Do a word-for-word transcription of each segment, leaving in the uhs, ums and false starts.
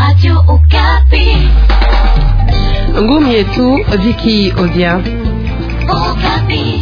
Radio Okapi. Ngumi yetu Viki Odia. Okapi.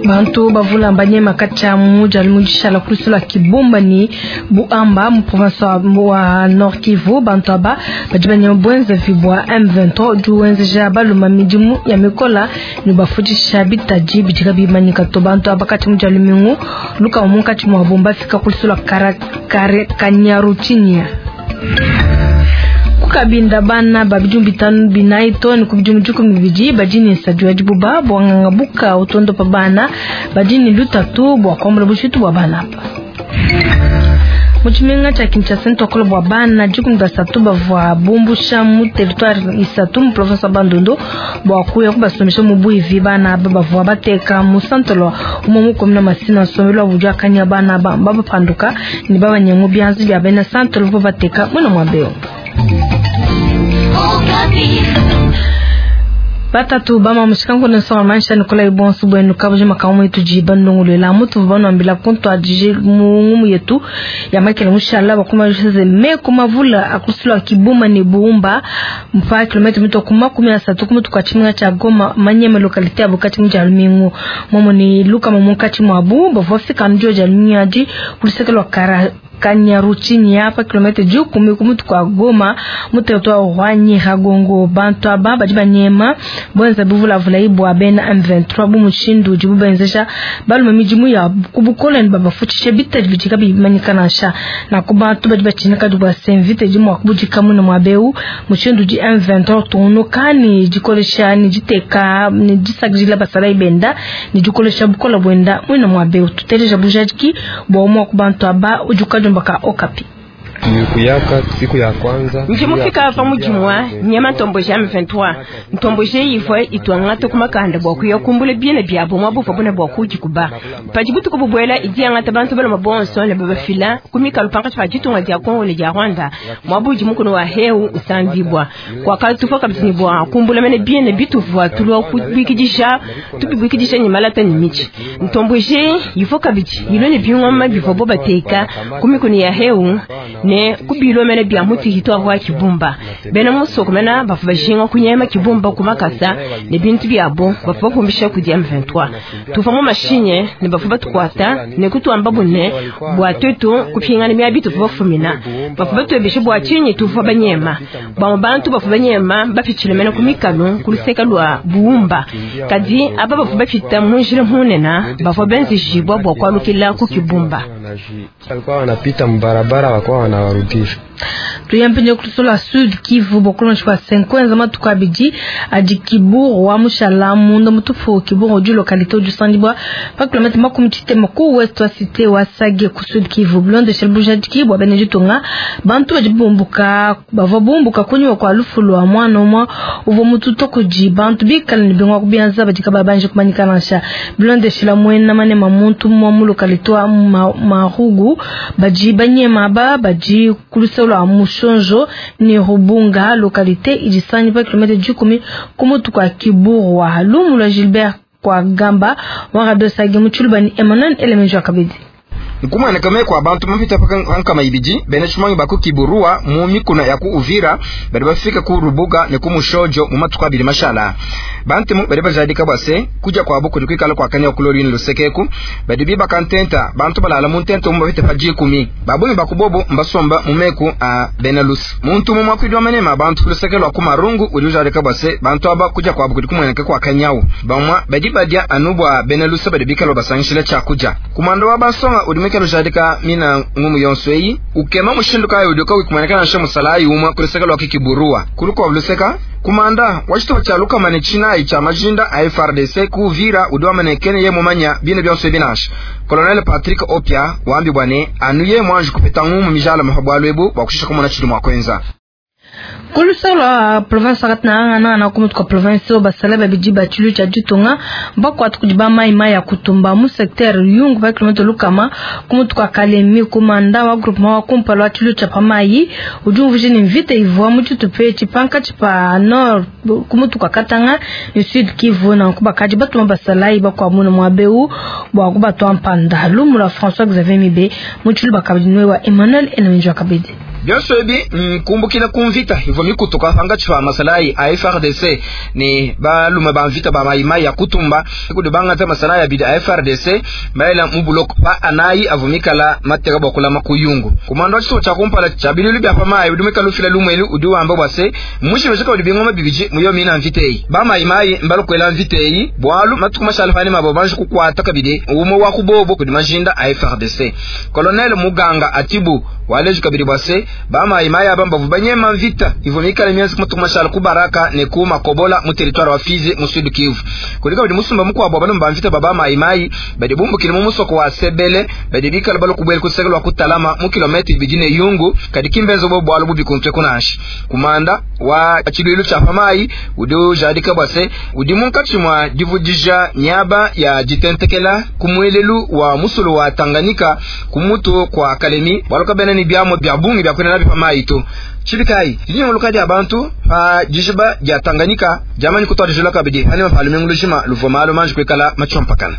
Bantu bavula mbanyema kacha muja limujishala kulusula kibumba ni Buamba mu province wa Nord Kivu. Bantu aba badi banyema bwenza vibwa M vingt-trois juwenzeja baluma midimu ya mikola ni bafujisha bitaji bidika bimanyika to. Bantu aba kati muja lumingu luka munkati mwa bomba fika kulusula kara kare kanyaruchinya kukabinda bana babijumbi bitanu binayi toni kubijumbi jukumi bibidi badini sajua dibuba bwanganga buka utondo pa bana badini lutatu bwa kwambula bushitu bwa bana apa muchimenga cha Kinshasa ntokolo bwa bana jukumi basatu bavwa bumbusha mu territoire isatu mu province ya Bandundu bwa kuya kubasomesha mu buivi bana aba bavwa bateka mu santolo umo mu komuna Masina nsomelo bujwa kanya bana aba babapanduka ni babanyengu byanzi bya bena santolo bo bateka mwana mwabeo. Batatu bama mushikango na soma maisha Nicolas Ibonsu bwenu kabuje makamu yetu jiba ndongolela mutu bano ambila konto adije mungumu yetu ya makele mushala bakuma jose me kumavula akusula kibuma ni buumba mpa kilomita mito kuma kumi na satu kuma tukachimwa cha Goma manyema localité abukati mja lumingu momo ni luka momo kati mwabu bavofika njo jalumiaji kulisekelwa kara Kanyaruchini hapa kilomita juu kumi kumutu kwa Goma muteto wa Nyiragongo. Bantu aba badi banyema bwenza buvula vula ibwa bena M vingt-trois bu mushindu jibu benzesha balume mijimu ya kubukola ni babafuchishe bitaji bitika bimanyika sha na kubantu badi bachinika dubwa senvite jimu akubujika muno mwabeu mushindu ji M vingt-trois tono kani jikolesha ni jiteka ni jisagila basala ibenda ni jikolesha bukola bwenda mwino mwabeu tuteleja bujajiki bwa umwa kubantu aba ujuka mbaka Okapi. Nikuyaka siku ya kwanza njimufika ava mujimwa nyema ntomboje M vingt-trois ntomboje ivwe itwang'ata kumakanda bwa kuya kumbula biena byabo mwabuva buna bwa kujikuba pajibutuku bubwela idiyang'ata bantu baloma bonso ne babafila kumikalu pankatshi pa ditunga dia Kongo ne dia Rwanda mwabuji mukono wa heu usambibwa kwakatufa kabisa ni bwa kumbula mene biena bituvwa tulwa kubikidisha tubibwikidisha ni malata ni michi ntomboje ifo kabiti ilone bing'oma bivwa bo bateka kumikono ya heu ne kubilo mene bya muti hitwa kwa kibumba bena musoko mena bafu bajinga kunyema kibumba kumakasa ne bintu byabo bafu bakumbisha ku M vingt-trois tufa mu mashinye ne bafu batukwata ne kutwamba bune bwa tetu kupingana mya bitu bafumina bafu batwebeshe bwa chinyi tufa banyema ba bantu bafu banyema bafichile mena kumikalo kuluseka lwa buumba kadi aba bafu bafita munjire munena bafu benzishibwa bwa kwalukila ku kibumba alikuwa wanapita mbarabara wakuwa wanawarudisha. Tuyampenye kutusola Sud Kivu bokolonshi kwa cinquante matuka bidi adi Kiburu wa mushala mundo mutufu Kiburu du localité du Sandibwa pa kilomètre makumi titema ku west wa cité wa Sage ku Sud Kivu blonde shelbuja dikibwa benejitunga bantu bajibumbuka bava bumbuka kunywa kwa lufu lwa mwana mwa uvo mututo kuji bantu bikala ni bingwa kubianza badika babanje kumanyika nasha blonde shila mwena mane mamuntu mwa mu localité wa Marugu baji banyema ba baji kulusolo Mushonjo ni Rubunga localité ijisanyi pa kilomètre jukumi kumutu kwa Kiburu wa Lumu la Gilbert kwa Gamba wa Radio Sage Mutshulubani Emmanuel Elemenjo akabidi nkumwenekame kwa bantu mapita pankama ibidi bene shumangi baku Kiburua mu mikuna ya ku Uvira bari bafika ku Rubuga ne ku Mushojo mu matuku abiri mashala bantu mu bari bajadika bwase kuja kwa buku kwikala kwa kanya kulori ni lusekeku badi biba kantenta bantu balala mu ntento mu bafite paji kumi babungi bakubobo mbasomba mu meku a Benelux muntu mu mwakwidwa manema bantu kulusekelwa ku marungu uli bwase bantu aba kuja kwa buku kumweneka kwa kanyawu bamwa badi badia anubwa Benelux badi bikalo basangishila chakuja kumando wa basonga ulimeke lujadika mina ngumu yonsweyi ukema mushindu kayo udoka wikumanekana nshe musalayi umwa kuluseka lwa Kikiburua kuluko wabuluseka kumanda wachitoba cha lukamane chinayi cha majinda a F R D C kuvira udiwamanekene ye mumanya bine byonswe binasha Colonel Patrick Opia wambi bwane anuye mwanji kupeta ngumu mijala mahabwalwebu bwakushisha kumona chili mwakwenza. Kulusolo lwa province wakati na na na kumutu kwa province basala babidi bachilu cha ditunga bakwatu kudi ba mai mai ya kutumba mu secteur yungu ba kilometre lukama kumutu kwa Kalemi komanda wa groupement wa kumpala wa chilu cha pamai ujumvuje ni mvita ivwa mu chitupe chipanka chipa nord kumutu kwa Katanga ni Sud Kivu na kubakaji batuma basalai bakwa muno mwabeu bwa kubatwa mpanda lumula François Xavier Mibe mu chilu bakabidi wa Emmanuel Enomjwa kabidi. Byonso ebi nkumbukila kumvita hivyo mikutuka panga chifa masalai a F R D C ni balume ba mvita ba maimai ya kutumba kudibanga ta masalai abidi a F R D C maela mubuloko pa anayi avumikala mateka bokula makuyungu kumando chiso cha kumpala cha bilulu bya pamayi udumika lufila lumwelu udiwamba bwase mushimeshaka udibingoma bibiji muyo mina mvitei ba maimai mbalokwela mvitei bwalu matukuma shalfani mabo banji kukwata kabidi umo wa kubobo kudimajinda a F R D C Colonel Muganga Atibu waleju kabidi bwase ba maimai abamba vubanyema mvita hivyo mikala mianzi kumatukuma kubaraka ne kuma kobola mu territoire wa Fizi mu Sud Kivu kulika bidi musumba mukwa bano mvita baba maimai badi bumbukile mu musoko wa Sebele badi bikala balo kubwela kusekelwa kutalama mu kilometre bijine yungu kadi kimbenzo bo bwalo bubikuntwe kunashi kumanda wa chilulu cha pamai udio jadika bwase udi munkachi mwa divudija nyaba ya jitentekela kumwelelu wa musulu wa Tanganyika kumutu kwa Kalemi baloka bena ni byamo bya bungi bya kwena pamai to chibikai linyolukadi abantu pa jijiba ya Tanganyika jamani kutwa kabidi hani mapalume ngulushima luvomalo manji kwekala machompakana.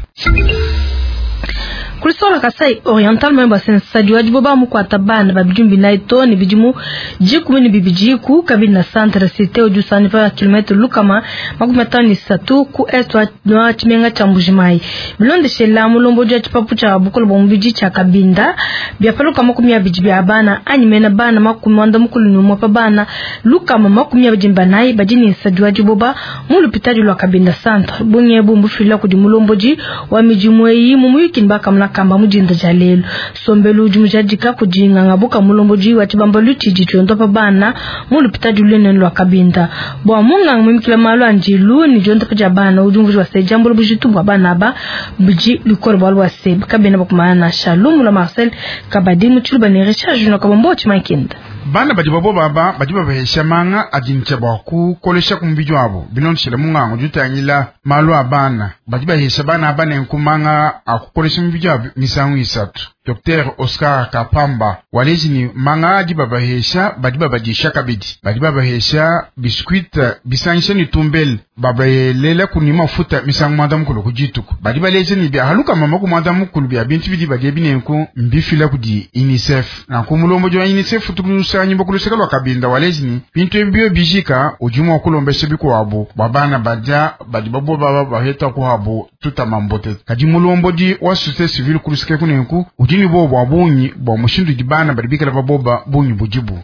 Kulisola Kasai Oriental mwemba sensadi wajiboba mukwata bana babijumbi na ito ni bijimu jikumi ni bibijiku kabili na centre cité ojusani pa kilometre lukama makumi atano ni satu ku est wa chimenga cha Mbujimai bilonde shela mulombo ja chipapu cha bukolo bomubiji cha Kabinda byapaluka makumi abiji bya bana anyimena bana makumi wanda mukulu ni umwe pa bana lukama makumi abiji mbanayi bajini nsadi wajiboba mu lupitali lwa Kabinda centre bunye bumbufila kudi mulomboji wa mijimweyi mumuyiki mbaka mlaka kamba mujinda jalelo sombelu jumujadika kujinga ngabuka mulomboji wa chibamba luchiji chondo pa bana mulupita julene lwa Kabinda bwa munga mumikila malu anjilu ni jonda pa jabana ujumvuji wa sejambo lubujitu bwa bana ba buji lukoro bwa lwa seb kabina bakumana na Shalom la Marcel Kabadi mutuluba ni Richard Junior kabombo chimakinda bana badi babo baba badi babahesha manga adincha bwa kukolesha kumubiji wabo binonshela mungango jutangila malu abana badi bahesha bana abana nkumanga akukolesha mubiji wabo misangu isatu. Docteur Oscar Kapamba waleji ni manga adi babahesha badi babadisha kabidi badi babahesha biskuit bisangisha ni tumbele babayelela kuni mafuta misangu mwanda mukulu kujituku badi baleje ni bya haluka mama ku mwanda mukulu bya bintu bidi badie binenku mbifila kudi UNICEF na kumulombo jwa UNICEF tukusanyi bokuluseka lwa Kabinda waleji ni bintu ebyo bijika ujumwa kulombesha bikwabo babana baja badi babo baba baheta kuhabo tutamambote kadi mulombo di wa société civile kuluseka kunenku ujini bo bwa bunyi bwa mushindu dibana badi bikala baboba bunyi bujibu.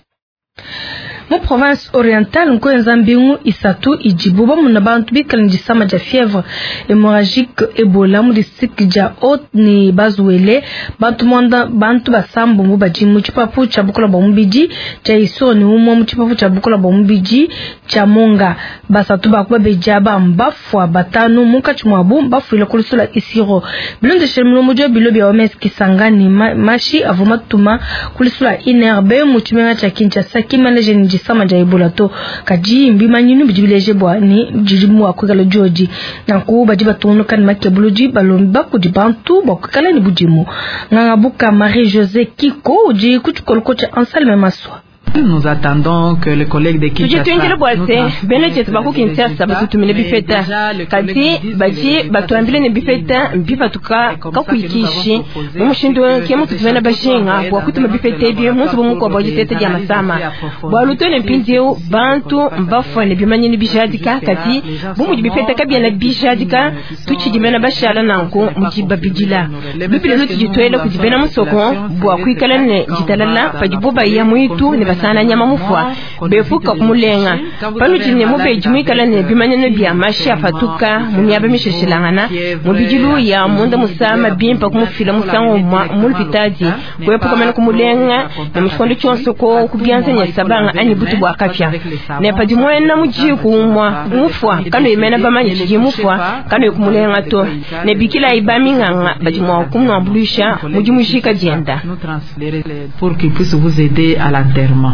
Mu province orientale nkoyenza mbingu isatu ijibu bamuna bantu bikala ndisama ja fièvre hémorragique Ebola mu district ja Haute ni Bazuele bantu mwanda bantu basambu mu baji mu chipapu cha bukola bwa mubiji cha Isoro ni umwe mu chipapu cha bukola bwa mubiji cha Monga basatu bakuba beja ba mbafwa batanu mukachi mwabu bafuile kulusula Isiro bilonde shemlo mujo bilo bya O M S Kisangani ma, mashi avuma tuma kulusula I N R B mu chimenga cha Kinshasa kimaleje ni sama ja Ebola to kaji mbimanyinu bijibileje bwa ni jijimu akwikala joji nanku baji batunga kan makebuluji balomba kudi bantu bakwikala ni bujimu ngangabuka Marie José Kiko uji kuchikoloko cha Anselme Maswa. Nous attendons que les collègues de Kinshasa tujitwengele bwase bene chetu baku Kinshasa batutumile bifeta kati baji batuambile ne bifeta mbifatuka kakuikishi mu mushindu ke mutu tuvena bashinga bwa kutuma bifeta ebyo munsi bumuko bwa jitete dia masama bwa lutone mpindieu bantu mbafone bimanyini bijadika kati bumudi bifeta kabyana bijadika tuchidimena bashala nanku mujibabidila bibile lutujitwele kudibena musoko bwa kuikala ne jitalala padibo ya mwitu ne basana nyama mufwa befuka kumulenga panu jine mubeji mwikala ne bimanyano bya mashi afatuka mu myaba misheshilangana mu bijilu ya munda musama bimpa kumufila musango mulupitadi kwepuka mana kumulenga na mushikondo chonso ko kubyanza nyasabanga ani butu bwa kapya ne padi mwena mujiku umwa mufwa kano imena bamanyi chiji mufwa kano kumulenga to ne bikila ibami nganga badi mwa kumwambulisha muji mushika jenda pour qu'il puisse vous aider à l'enterrement.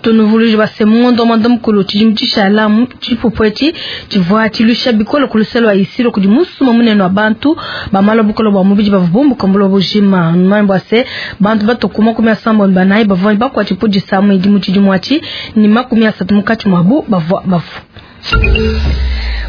Tunuvuluije base mu ngondo mwanda mukulu tshidimu tshishala tshipupu etshi tshivua tshiluisha bikole ku luseke lua Isiro kudi musuma munene wa bantu bamala bukole bua mubidi bavua bumbuka buloba bujima. Numanye bua se bantu batuku makumi asambombo ne banayi bavua bakuate pudisa mu idimu tshidimu atshi ne makumi asatu mukatshi muabu bavua bafua.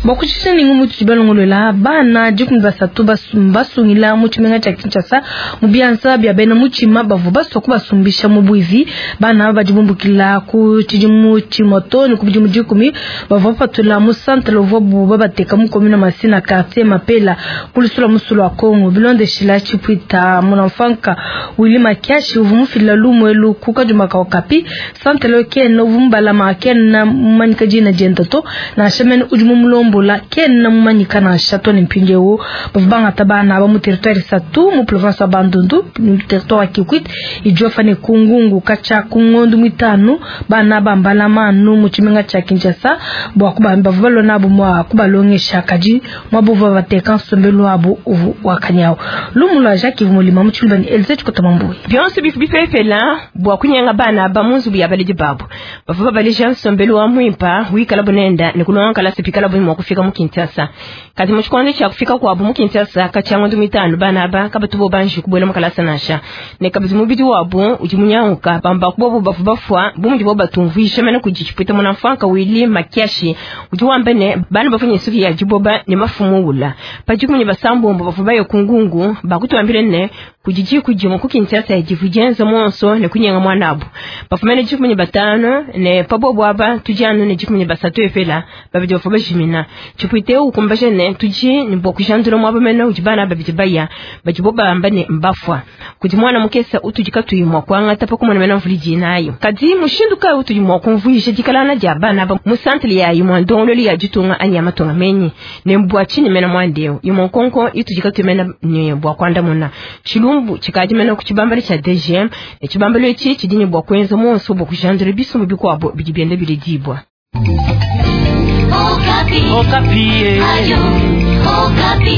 Bua kutshisha ni ngumu tudi balongolola bana dikumi basatu basungila mu tshimenga tshia Kinshasa mu bianza bia bena mutshima bavua basua kubasumbisha mu buivi. Bana aba badi bumbukila ku tshidimu tshimue too ne ku bidimu dikumi, bavua bapatula mu centre uvuabu babateka mu commune Masina, quartier Mapela, ku lusula musulu wa Congo. Bilondeshila tshipuita munamfanka Willy Makiashi uvua mufila lumu elu ku kadima ka Okapi, centre kena uvua mubalama kena mumanyika dina dienda to, nansha mene udi mumulombola kena mumanyika nansha to. Ne mpindieu bavua bangata bana aba mu territoire isatu mu province wa Bandundu, mu territoire wa Kikwit, Idiofa ne Kungungu. Katshia ku ngondo mitanu bana bambala manu mu tshimenga tshia Kinshasa bua bavua balona abo mua kubalongesha, kadi muabu bateka nsombelu wabu uvu wakanyawu. Lumu lua Jacques Mulima mu Tshiluba ne Elze Tshikota Mambui. Bionso bifu bipepela bua kunyenga bana ba mu nzubu ya baledi babo bavua babaleja nsombelu wa muimpa wikala bunenda ne kulonga kalasa pikala bu mua kufika mu Kinshasa. Kadi mu tshikondo tshia kufika kuabu mu Kinshasa katshia ngondo mitanu, bana aba kabatu bo banji kubuela mu kalasa nansha, ne kabidi mubidi wabu udi munyanguka. Bamba kubobo bavua bafua bu mudi bo batumvuisha mene kudi tshipwita munamfanka Willy Makiashi udi wamba ne bana bavua ne nsuki ya diboba ne mafumu ula padi kumenya basambombo bavua baye Kungungu. Bakutuambile ne kudi diku dimue ku Kinshasa divu dienza monso ne kunyenga mwanabu bafumene dikumi ne batano, ne pabobo aba tudi anu ne dikumi ne basatu epela, babidi bavua bajimina. Tshipwite ukumbaje ne tudi ne bua kujandula muaba mene udi bana babidi baya badi bo bamba ne mbafua kudi mwana mukesa utudi katuyi mua kuangata pa kumona mena mvuli dinayo. Kadi mushindu kayi utudi mua kumvuisha dikalana dia bana ba mu centre ya imue ndongololo ya ditunga anyi ya matunga menyi ne mbua tshini mena muandeo imue nkonko itudi katuyi mena ne bua kuandamuna. Tshilumbu tshikadi mena ku tshibambalo tshia D G M, ne tshibambalo etshi tshidi ne bua kuenza monso bua kujandula bisumbu bikuabo bidi bienda biledibua. Okapi. Okapi. Ayo, Okapi.